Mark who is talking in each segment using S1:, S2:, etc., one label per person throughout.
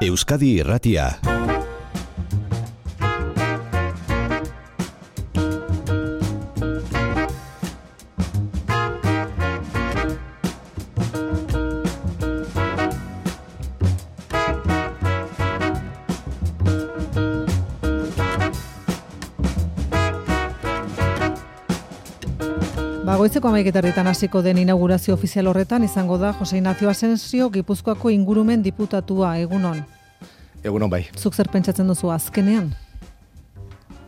S1: Euskadi Irratia.
S2: Goizeko 11:00 hasiko den inaugurazio ofizial horretan izango da Jose Ignacio Asensio, Gipuzkoako ingurumen diputatua. Egunon.
S3: Egunon bai.
S2: Zuk zer pentsatzen duzu azkenean?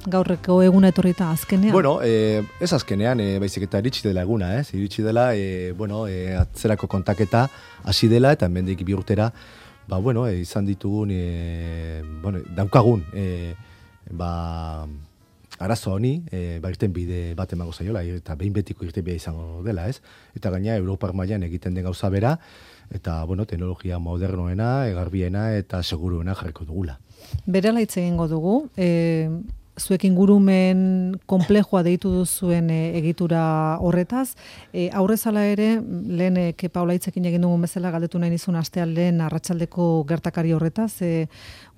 S2: Gaurreko eguna etorrita azkenean?
S3: Bueno, ez azkenean, baizik eta iritsi dela eguna, iritsi dela, atzerako kontaketa hasi dela, eta hemendik 2 urtera, izan ditugun, daukagun, arazo honi, irten bide bat emango zaiola, eta behin betiko irten bide izango dela, ez? Eta gaina, Europar mailan egiten den gauza bera, eta, teknologia modernoena, garbiena eta seguruena jarriko dugula.
S2: Berela hitz egingo dugu, zuek ingurumen konplexua deitu duzuen egitura horretaz. Aurrezala ere, lehen Kepa Olaitzekin egin dugun bezala galdetu nahi nizun astean lehen arratsaldeko gertakari horretaz.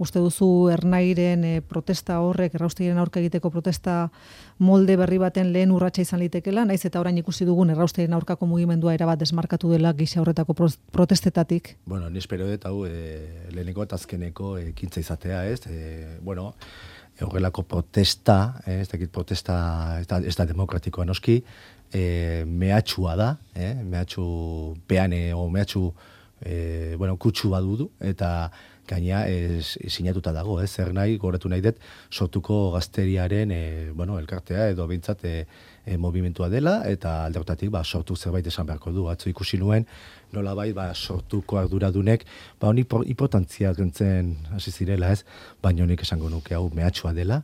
S2: Uste duzu Ernairen protesta horrek, erraustegiren aurka egiteko protesta molde berri baten lehen urratsa izan litekela, naiz eta orain ikusi dugun erraustegiren aurkako mugimendua erabat desmarkatu dela gisa horretako protestetatik?
S3: Ni espero dut hau leheneko eta azkeneko ekintza izatea, ez? Horrelako protesta, ez da demokratikoa noski, mehatxua da, mehatxu peane o mehatxu kutsu badudu, eta gaina sinatuta dago, zer nahi, goratu nahi dut, sortuko gazteriaren elkartea edo behintzat movimentua dela, eta alde horretatik sortu zerbait esan beharko du. Atzo ikusi nuen, nolabait sortuko arduradunek, honi importantzia gentzen hasi zirela, ez? Baina honik esango nuke hau mehatxua dela,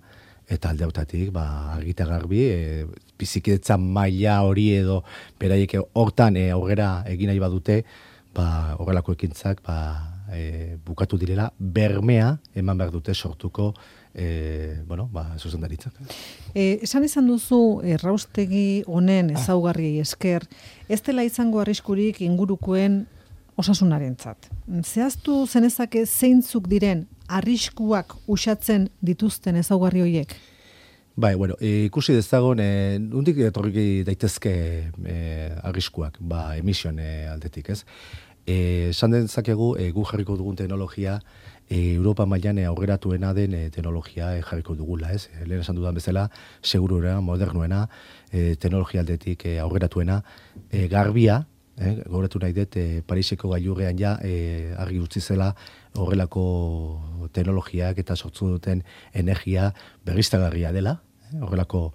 S3: eta alde horretatik argita garbi, bizikidetza maila hori edo beraiek hortan aurrera egin nahi badute, horrelako ekintzak bukatu direla, bermea eman behar dute sortuko zuzendaritzak.
S2: Esan izan duzu erraustegi honen ezaugarriei esker, ez dela izango arriskurik ingurukoen osasunarentzat. Zehaztu zenezake zeintzuk diren arriskuak uxatzen dituzten ezaugarri horiek?
S3: Ikusi dezagon, nondik etorri daitezke arriskuak, emisioen aldetik, ez? Esan dezakegu, gu jarriko dugun teknologia, Europa mailan aurreratuena den teknologia jarriko dugula, ez? Lehen esan dudan bezala, seguruena, modernoena, teknologia aldetik aurreratuena, garbia, gauratu nahi dut, Pariseko gailurrean argi utzi zela horrelako teknologiak eta sortzen duten energia berriztagarria dela, horrelako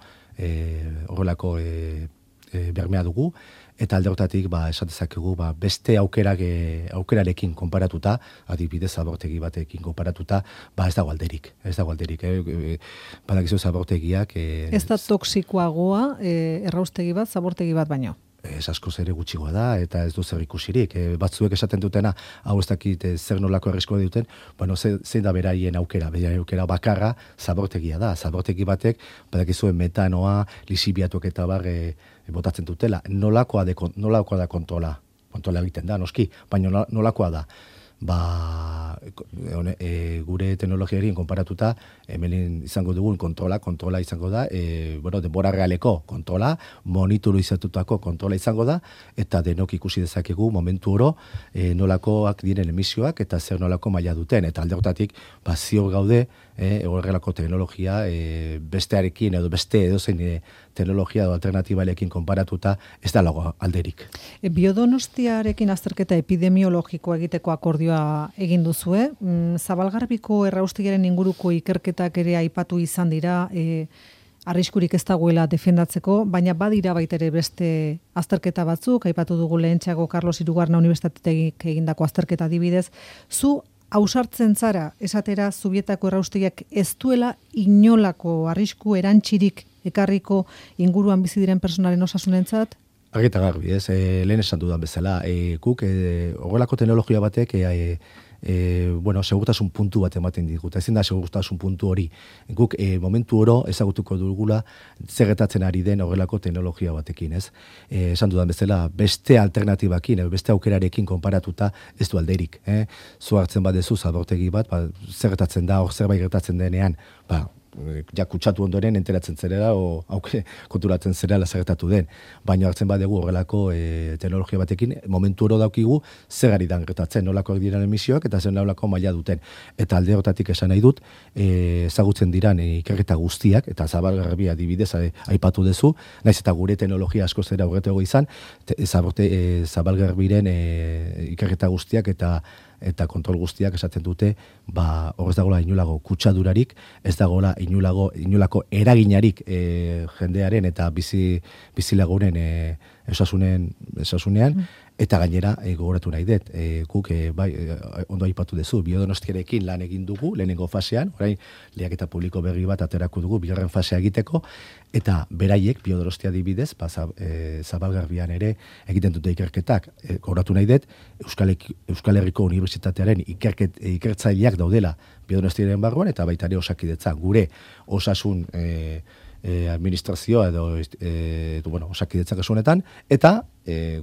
S3: bermea dugu, eta alde horretatik esan dezakegu beste aukerarekin konparatuta, adibidez zabortegi batekin konparatuta, ez dago alderik. Badakizu zabortegiak...
S2: Ez da toksikoagoa erraustegi bat, zabortegi bat baino?
S3: Ez askoz ere gutxigoa da, eta ez du zer ikusirik. Batzuek esaten dutena, hau ez dakit zer nolako erriskoa duten, zein da beraien aukera bakarra zabortegia da. Zabortegi batek, badakizuen metanoa, lisibiatuak eta botatzen dutela. Nolakoa da kontrola egiten da, noski, baina nolakoa da. Gure teknologiarien konparatuta, hemen izango dugun kontrola izango da, denbora realeko kontrola, monitorizatutako kontrola izango da, eta denok ikusi dezakegu momentu oro nolakoak diren emisioak eta zer nolako maila duten, eta alde horretatik ziur gaude horrelako teknologia bestearekin edo beste edozein teknologia edo alternatibalekin konparatuta ez da lago alderik.
S2: Biodonostiarekin azterketa epidemiologikoa egiteko akordioa egin duzue. Zabalgarbiko erraustegiaren inguruko ikerketak ere aipatu izan dira, arriskurik ez dagoela defendatzeko, baina badira baita ere beste azterketa batzuk, aipatu dugu lehentxeago Carlos Hirugarren Unibertsitatetik egindako azterketa adibidez. Zu ausartzen zara, esatera Zubietako erraustegiak ez duela inolako arrisku erantzirik ekarriko inguruan bizi diren personalen osasunentzat?
S3: Argita garbi, lehen esan dudan bezala, guk horrelako teknologia batek segurtasun puntu bat ematen digute. Ezin da segurtasun puntu hori. Guk momentu oro ezagutuko dugula zer gertatzen ari den horrelako teknologia batekin, ez? Esan dudan bezala, beste alternatibakin, beste aukerarekin konparatuta ez du alderik. Zu hartzen badezu zabortegi bat, zer gertatzen da, hor zerbait gertatzen denean, ja kutsatu ondoren enteratzen zerela o konturatzen zerela zertatu den. Baina hartzen badegu horrelako teknologia batekin momentu oro daukigu zer ari dan gertatzen, nolakoak diren emisioak eta zer nolako maila duten. Eta alde hortatik esan nahi dut, ezagutzen diran ikerketa guztiak, eta zabalgarbia adibidez aipatu duzu, naiz eta gure teknologia asko zera horretego izan, zabalgarbiren ikerketa guztiak eta kontrol guztiak esaten dute, hor ez dagoela inolago kutsadurarik, ez dagoela inolako eraginarik jendearen eta bizilagunen osasunean, eta gainera gogoratu nahi dut, guk ondo aipatu duzu, Biodonostiarekin lan egin dugu, lehenengo fasean, orain lehiaketa publiko berri bat aterako dugu, bigarren fasea egiteko, eta beraiek Biodonostia adibidez, Zabalgarbian ere egiten dute ikerketak, gogoratu nahi dut, Euskal Herriko Unibertsitatearen ikertzaileak daudela Biodonostiaren barruan, eta baita ere Osakidetza, gure osasun administrazioa edo Osakidetza kasunetan, eta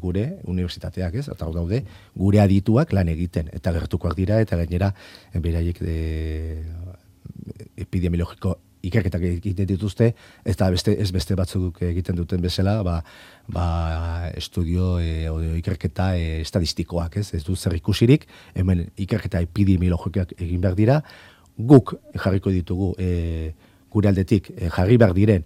S3: gure unibertsitateak, ez? Eta daude gure adituak lan egiten, eta gertukoak dira, eta gainera beraiek epidemiologiko ikerketak egiten dituzte, eta ez beste batzuk egiten duten bezala, estudio ikerketa estadistikoak, ez du zer ikusirik, hemen ikerketa epidemiologikoak egin behar dira, guk jarriko ditugu gure aldetik jarri behar diren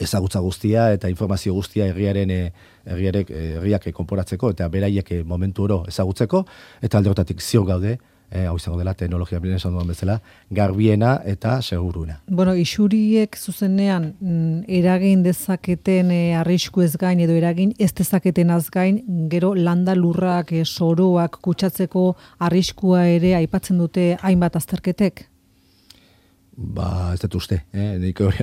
S3: ezagutza guztia eta informazio guztia herriak konporatzeko eta beraiek momentu oro ezagutzeko, eta alde hortatik ziur gaude, hau izango dela, teknologia bilen esan duan bezala, garbiena eta seguruna.
S2: Isuriek zuzenean eragin dezaketen arrisku ez gain edo eragin ez dezaketen az gain, gero landa lurrak, soroak kutsatzeko arriskua ere aipatzen dute hainbat azterketek?
S3: Ez dut uste,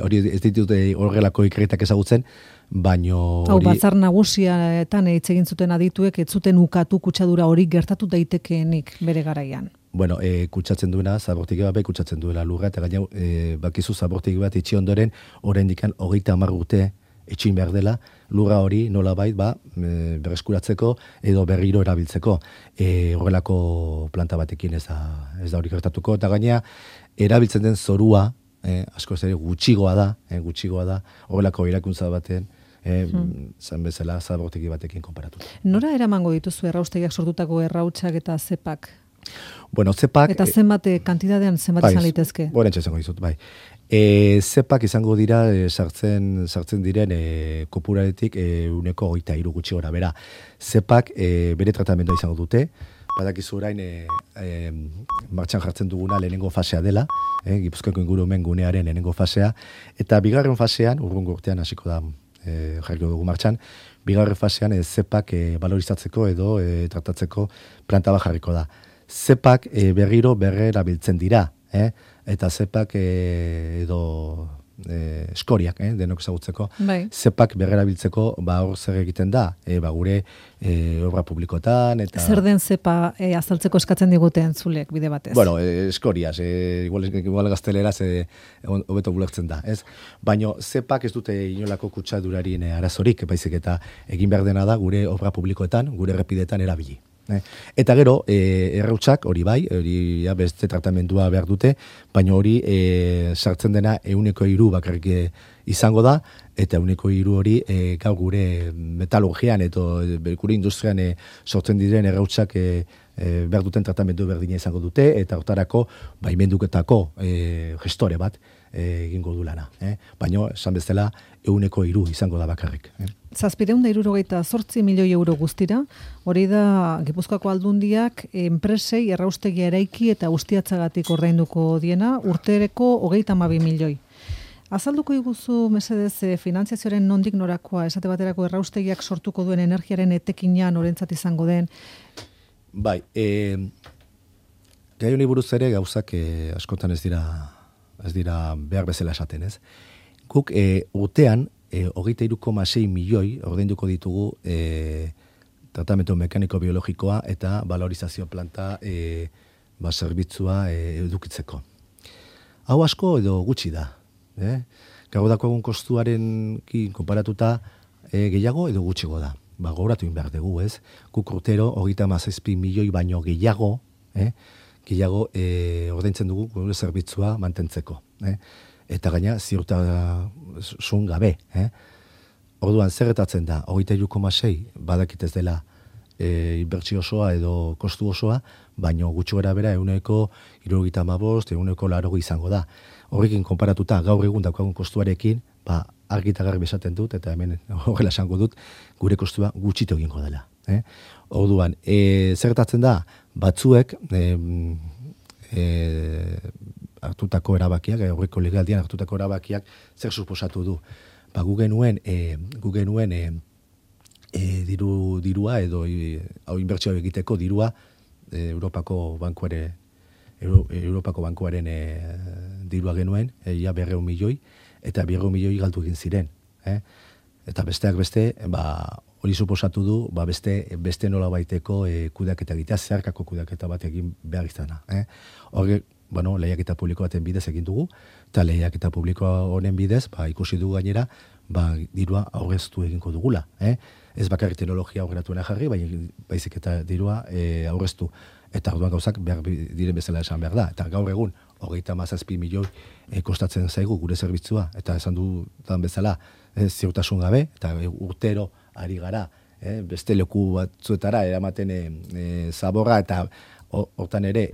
S3: hori ez ditute horrelako ikerketak ezagutzen, baino
S2: hori... Batzar nagusiaetan hitz egin zuten adituek, ez zuten ukatu kutsadura hori gertatu daitekeenik bere garaian.
S3: Kutsatzen duena, zabortegi bat kutsatzen duela lurra, eta gaina bakizu zabortegi bat itxi ondoren, oraindik 30 urte etxin behar dela, lurra hori nolabait berreskuratzeko edo berriro erabiltzeko. Horrelako planta batekin ez da hori gertatuko, eta gaina erabiltzen den zorua, asko ez ere gutxigoa da, horrelako irakuntza baten, zan bezala zabortegi batekin konparatu.
S2: Nora eramango dituzu erraustegiak sortutako errautsak eta zepak?
S3: Zepak...
S2: Eta zenbat kantidadean zenbat izan litezke?
S3: Borentxe izango dizut, bai. Zepak izango dira sartzen diren kopuraretik 23 gutxi gora. Bera, zepak bere tratamendua izango dute, badakizu orain martxan jartzen duguna lehenengo fasea dela, Gipuzkoako ingurumen gunearen lehenengo fasea, eta bigarren fasean, urrungo urtean hasiko da jarriko dugu martxan, bigarren fasean zepak valorizatzeko edo tratatzeko planta bat jarriko da. Zepak berriro berrerabiltzen dira, eta zepak edo eskoriak, denok ezagutzeko, zepak berrerabiltzeko hor zer egiten da, gure obra publikotan, eta...
S2: Zer den zepa azaltzeko eskatzen diguten zulek bide batez?
S3: Eskoriaz, igual gazteleraz hobeto bulertzen da, ez? Baina zepak ez dute inolako kutsadurarien arazorik, baizik eta egin behar dena da gure obra publikoetan, gure errepidetan erabili. Eta gero, errautsak, hori bai, hori beste tratamendua behar dute, baina hori sartzen dena 103 bakarrik izango da, eta 103 hori gaur gure metalurgian eta gure industrian sortzen diren errautsak behar duten tratamendu berdina izango dute, eta hortarako baimenduketako gestore bat egingo du lana. Baina, esan bezala, 103 izango da bakarrik.
S2: 768 milioi euro guztira, hori da Gipuzkoako Aldundiak enpresei erraustegia eraiki eta ustiatzagatik ordainduko diena, urtereko 32 milioi. Azalduko iguzu, mesedez, finantziazioaren nondik norakoa, esate baterako erraustegiak sortuko duen energiaren etekina norentzat izango den?
S3: Bai, gai honi buruz ere gauzak askotan ez dira behar bezala esaten, ez? Guk urtean 23,6 milioi ordainduko ditugu tratamendu mekaniko-biologikoa eta valorizazio planta zerbitzua edukitzeko. Hau asko edo gutxi da. Gaur dakoagun kostuaren konparatuta gehiago edo gutxigo da. Gogoratu behar dugu, ez? Guk urtero 37 milioi baino gehiago ordaintzen dugu gure zerbitzua mantentzeko. Eta gaina ziurtasun gabe. Orduan zerretatzen da, 23,6 badakit ez dela inbertsio osoa edo kostu osoa, baino gutxi gara bera 75, 80 izango da. Horrekin konparatuta gaur egun daukagun kostuarekin, argi eta garbi esaten dut, eta hemen horrela esango dut, gure kostua gutxitu egingo dela. Orduan, zerretatzen da, batzuek hartutako erabakiak, aurreko legealdian hartutako erabakiak zer suposatu du. Gu genuen dirua edo inbertsio egiteko dirua Europako bankuaren dirua genuen, 200 milioi, eta 200 milioi galdu egin ziren. Eta besteak beste, hori suposatu du, beste nola baiteko kudeaketa egitea, zeharkako kudeaketa bat egin behar izana. Horrek, lehiaketa publiko baten bidez egin dugu, eta lehiaketa publiko honen bidez, ikusi dugu gainera, dirua aurreztu egingo dugula. Ez bakarrik teknologia aurreratuena jarri, baizik eta dirua aurreztu. Eta orduan gauzak behar diren bezala esan behar da. Eta gaur egun, 37 milioi kostatzen zaigu gure zerbitzua, eta esan dudan bezala ziurtasun gabe, eta urtero ari gara, beste leku batzuetara eramaten zaborra, eta hortan ere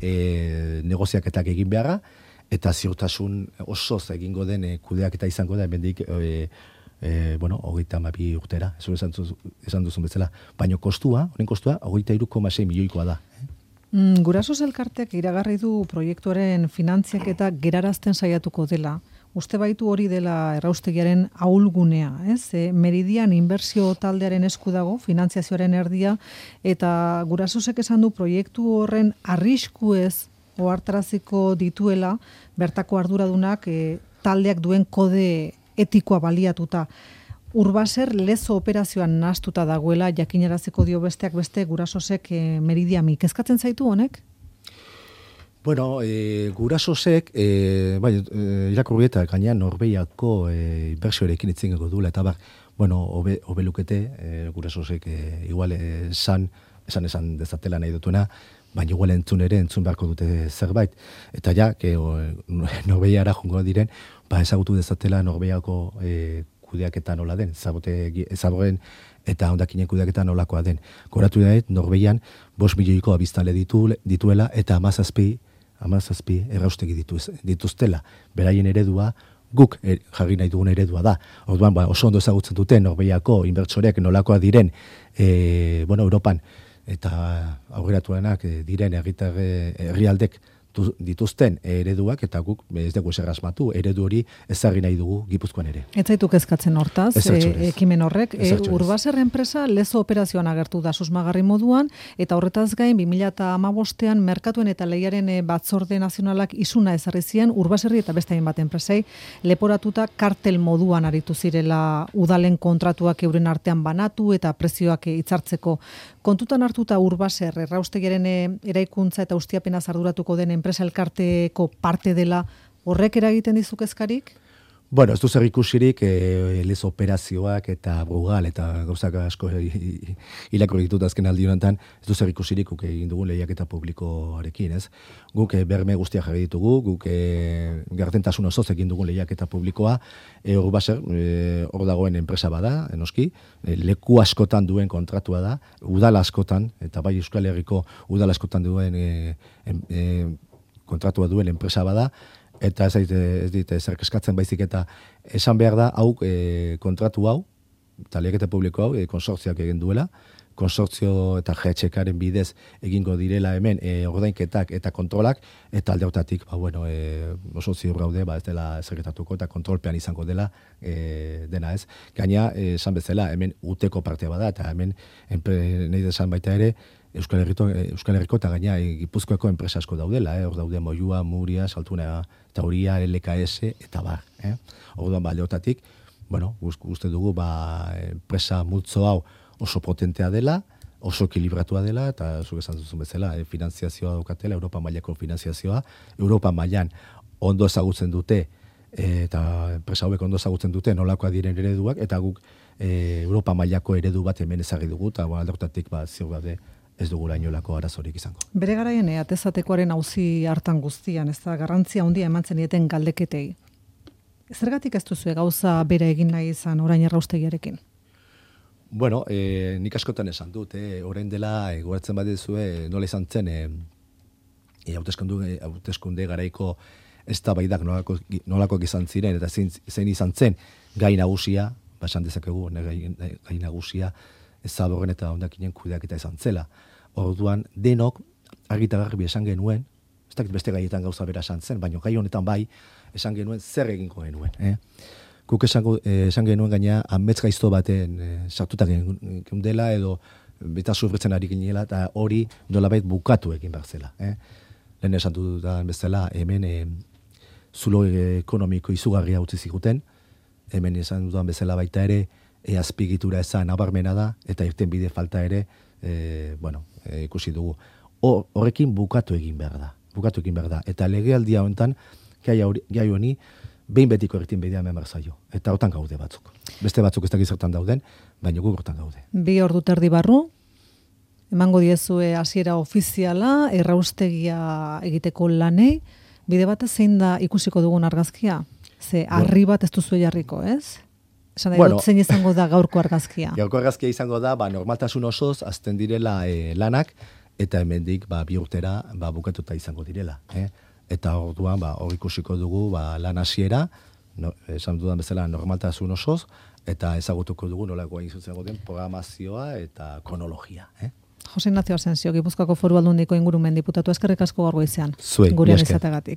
S3: negoziaketak egin beharra, eta ziurtasun osoz egingo den kudeaketa izango da, hemendik 32 urtera, esan duzun bezala. Baina honen kostua, 23,6 milioikoa da.
S2: Gurasos elkartek iragarri du proiektuaren finantziak eta gerarazten saiatuko dela. Uste baitu hori dela erraustegiaren ahulgunea, ez? Meridian inbertsio taldearen esku dago, finantziazioaren erdia, eta gurasosek esan du proiektu horren arriskuez ohartaraziko dituela, bertako arduradunak taldeak duen kode etikoa baliatuta. Urbaser lezo operazioan nahastuta dagoela, jakinaraziko dio besteak beste gurasosek Meridiami. Kezkatzen zaitu honek?
S3: Bueno, gurasosek, irakurri eta gainean Norbeiako inbertsioarekin itzingo duela, eta obelukete gurasosek igual esan dezatela nahi dutuna, baina igual entzun beharko dute zerbait. Eta Norbeiara jongo diren, ezagutu dezatela Norbeiako kudeaketa nola den, zaborren eta hondakinen kudeaketa nolakoa den. Goratu da, Norbeian 5 milioiko abiztale dituela eta 17 erraustegi dituztela. Beraien eredua, guk jarri nahi dugun eredua da. Orduan, oso ondo ezagutzen dute Norbeiako inbertsoreak nolakoa diren Europan eta aurreratuenak diren herrialdek dituzten ereduak, eta guk ez dugu ezer asmatu, eredu hori ezarri nahi dugu Gipuzkoan ere.
S2: Ez zaitu kezkatzen hortaz, ekimen horrek. Urbaser enpresa lezo operazioan agertu da susmagarri moduan, eta horretaz gain 2015ean merkatuen eta lehiaren batzorde nazionalak isuna ezarri zien Urbaserri eta beste hainbat enpresei leporatuta kartel moduan aritu zirela udalen kontratuak euren artean banatu eta prezioak hitzartzeko. Kontutan hartuta Urbaser erraustegiaren eraikuntza eta ustiapenaz arduratuko den enpresa elkarteko parte dela, horrek eragiten dizu kezkarik?
S3: Ez du zer ikusirik lez operazioak eta brugal eta gauzak asko irakurri ditut azken aldi honetan, ez du zer ikusirik guk egin dugun lehiaketa publikoarekin, ez? Guk berme guztiak jarri ditugu, guk gardentasun osoz egin dugun lehiaketa publikoa, Urbaser hor dagoen enpresa bada, enoski, leku askotan duen kontratua da, udal askotan, eta bai Euskal Herriko udal askotan duen kontratua duen enpresa bada, eta ez dit zer keskatzen baizik, eta esan behar da kontratu hau, eta lehiaketa publiko hau, konsortzioak egin duela, konsortzio eta GHKaren bidez egingo direla hemen ordainketak eta kontrolak, eta alde hortatik oso ziur gaude ez dela zergetatuko eta kontrolpean izango dela dena, ez. Gaina, esan bezala, hemen uteko partea bada, eta hemen nahi desan baita ere, Euskal Herriko eta gaina Gipuzkoako enpresa asko daudela, hor daude Moyua, Muria, Saltuna, Tauria, LKS eta bar. Orduan alde hortatik, uste dugu enpresa multzo hau oso potentea dela, oso ekilibratua dela, eta zuk esan duzun bezala, finanziazioa daukatela, Europa mailako finanziazioa, Europa mailan ondo ezagutzen dute, eta enpresa hauek ondo ezagutzen dute nolakoa diren ereduak, eta guk Europa mailako eredu bat hemen ezarri dugu, eta alde horretatik ziur gaude ez dugula inolako arazorik izango.
S2: Bere garaian atezatekoaren auzi hartan guztian, ez da garrantzia handia emantzen dieten galdeketei. Zergatik ez duzu gauza bera egin nahi izan orain erraustegiarekin?
S3: Bueno, nik askotan esan dut, orain dela, goratzen badizue, nola izan zen, hauteskunde garaiko eztabaidak nolakoak izan ziren, eta zein izan zen gai nagusia, esan dezakegu, gai nagusia, Zadorren eta hondakinen kudeaketa izan zela. Orduan, denok, argita garbi esan genuen, ez dakit beste gaietan gauza bera esan zen, baina gai honetan bai, esan genuen zer egingo genuen. Guk esan genuen gaina, amets gaizto baten sartuta geundela, edo beta sufritzen ari ginela, eta hori nolabait bukatu egin behar zela. Lehen esan dudan bezala, hemen zulo ekonomiko izugarria utzi ziguten, hemen esan dudan bezala baita ere, azpigitura ezan nabarmena da, eta irten bide falta ere, ikusi dugu. Horrekin bukatu egin behar da. Eta legealdia honetan, gai honi, behin betiko irten bidea hemen zaio. Eta hortan gaude batzuk. Beste batzuk ez dakiz zertan dauden, baina guk hortan gaude.
S2: 2 ordu terdi barru, emango diezue hasiera ofiziala, erraustegia egiteko lanei, bide batez zein da ikusiko dugun argazkia? Ze harri bat ez duzu jarriko, ez? Esan da, zein izango da gaurko argazkia?
S3: Gaurko argazkia izango da, normaltasun osoz, azten direla lanak, eta hemendik 2 urtera bukatuta izango direla. Eta orduan, hor ikusiko dugu lan hasiera, esan dudan bezala normaltasun osoz, eta ezagutuko dugu nolakoa izutzen den programazioa eta kronologia.
S2: Jose Ignacio Asensio, Gipuzkoako Foru Aldundiko ingurumen diputatu, eskerrik asko gaur goizean.
S3: Zuei,
S2: gurean izateagatik.